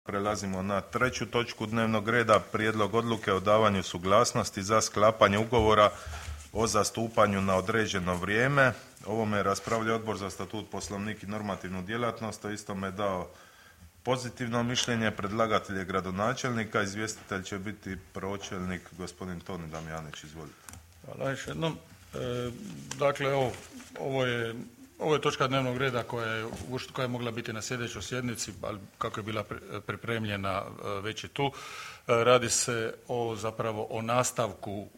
Prelazimo na treću točku dnevnog reda, prijedlog odluke o davanju suglasnosti za sklapanje ugovora o zastupanju na određeno vrijeme. Ovome je raspravljao Odbor za statut, poslovnik i normativnu djelatnost, o istome je dao pozitivno mišljenje. Predlagatelj je gradonačelnik, a izvjestitelj će biti pročelnik gospodin Toni Damjanić. Izvolite. Hvala još jednom. Dakle, ovo je točka dnevnog reda koja je mogla biti na sljedećoj sjednici, ali kako je bila pripremljena već je tu. Radi se zapravo o nastavku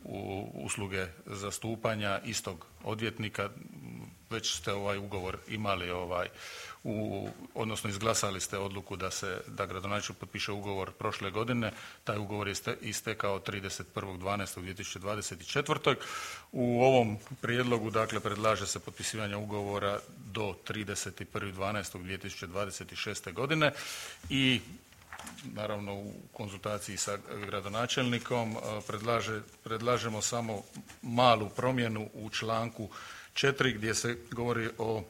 usluge zastupanja istog odvjetnika. Već ste ovaj ugovor imali, odnosno izglasali ste odluku da gradonačelnik potpiše ugovor prošle godine. Taj ugovor je istekao 31.12.2024. U ovom prijedlogu dakle predlaže se potpisivanje ugovora do 31.12.2026. godine i naravno u konzultaciji sa gradonačelnikom predlažemo samo malu promjenu u članku 4 gdje se govori o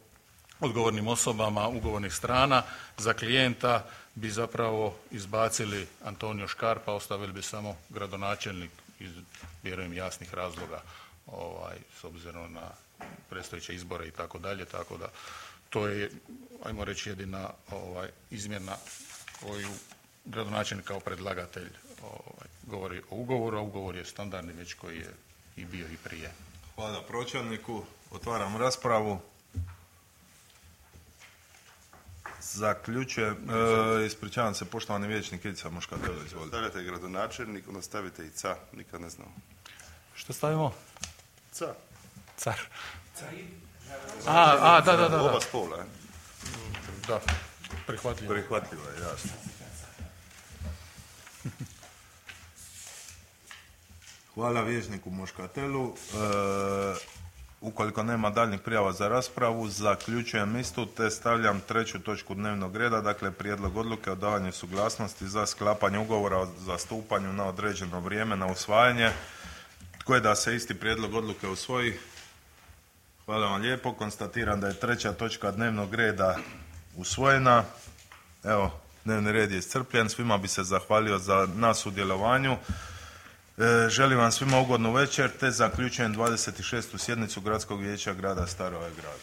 odgovornim osobama ugovornih strana. Za klijenta bi zapravo izbacili Antonio Škarpa, ostavili bi samo gradonačelnik iz vjerujem jasnih razloga s obzirom na predstojeće izbore i tako dalje, tako da to je, ajmo reći, jedina izmjena koju gradonačelnik kao predlagatelj govori o ugovoru, a ugovor je standardni već koji je i bio i prije. Hvala pročelniku. Otvaram raspravu. Zaključujem. Ispričavam se, poštovani vijećnik Ivica Moškatelo, izvolite. Stavljate gradonačelnik, onda stavite i ca, nikad ne znam. Što stavimo? Ca. Car. Da. Oba spola, Da, prihvatljivo. Prihvatljivo je, jasno. Hvala vijećniku Moškatelu. Ukoliko nema daljnjih prijava za raspravu, zaključujem istu te stavljam treću točku dnevnog reda, dakle prijedlog odluke o davanju suglasnosti za sklapanje ugovora o zastupanju na određeno vrijeme na usvajanje. Tko je da se isti prijedlog odluke usvoji? Hvala vam lijepo. Konstatiram da je treća točka dnevnog reda usvojena. Evo, dnevni red je iscrpljen. Svima bi se zahvalio na sudjelovanju. Želim vam svima ugodnu večer te zaključujem 26. sjednicu Gradskog vijeća grada Starog Grada.